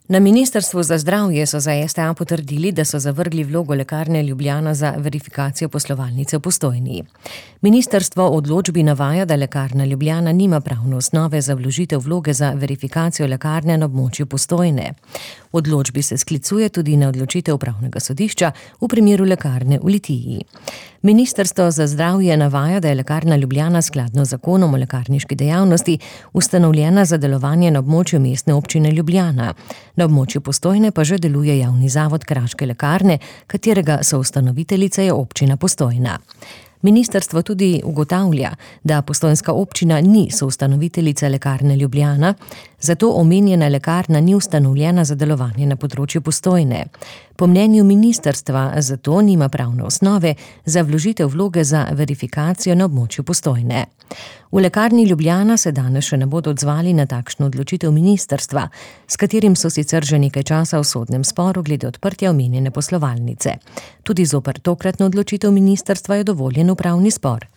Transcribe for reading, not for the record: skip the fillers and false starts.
Na Ministrstvu za zdravje so za STA potrdili, da so zavrgli vlogo Lekarne Ljubljana za verifikacijo poslovalnice v Postojni. Ministrstvo v odločbi navaja, da Lekarna Ljubljana nima pravne osnove za vložitev vloge za verifikacijo lekarne na območju Postojne. V odločbi se sklicuje tudi na odločitev upravnega sodišča v primeru lekarne v Litiji. Ministrstvo za zdravje navaja, da je Lekarna Ljubljana skladno z zakonom o lekarniški dejavnosti ustanovljena za delovanje na območju Mestne občine Ljubljana. Na območju Postojne pa že deluje javni zavod Kraške lekarne, katerega soustanoviteljica je občina Postojna. Ministrstvo tudi ugotavlja, da postojnska občina ni soustanoviteljica Lekarne Ljubljana, zato omenjena lekarna ni ustanovljena za delovanje na področju Postojne. Po mnenju ministrstva zato nima pravne osnove za vložitev vloge za verifikacijo na območju Postojne. V Lekarni Ljubljana se danes še ne bodo odzvali na takšno odločitev ministrstva, s katerim so sicer že nekaj časa v sodnem sporu glede odprtja omenjene poslovalnice. Tudi zoper tokratno odločitev ministrstva je dovoljen upravni spor.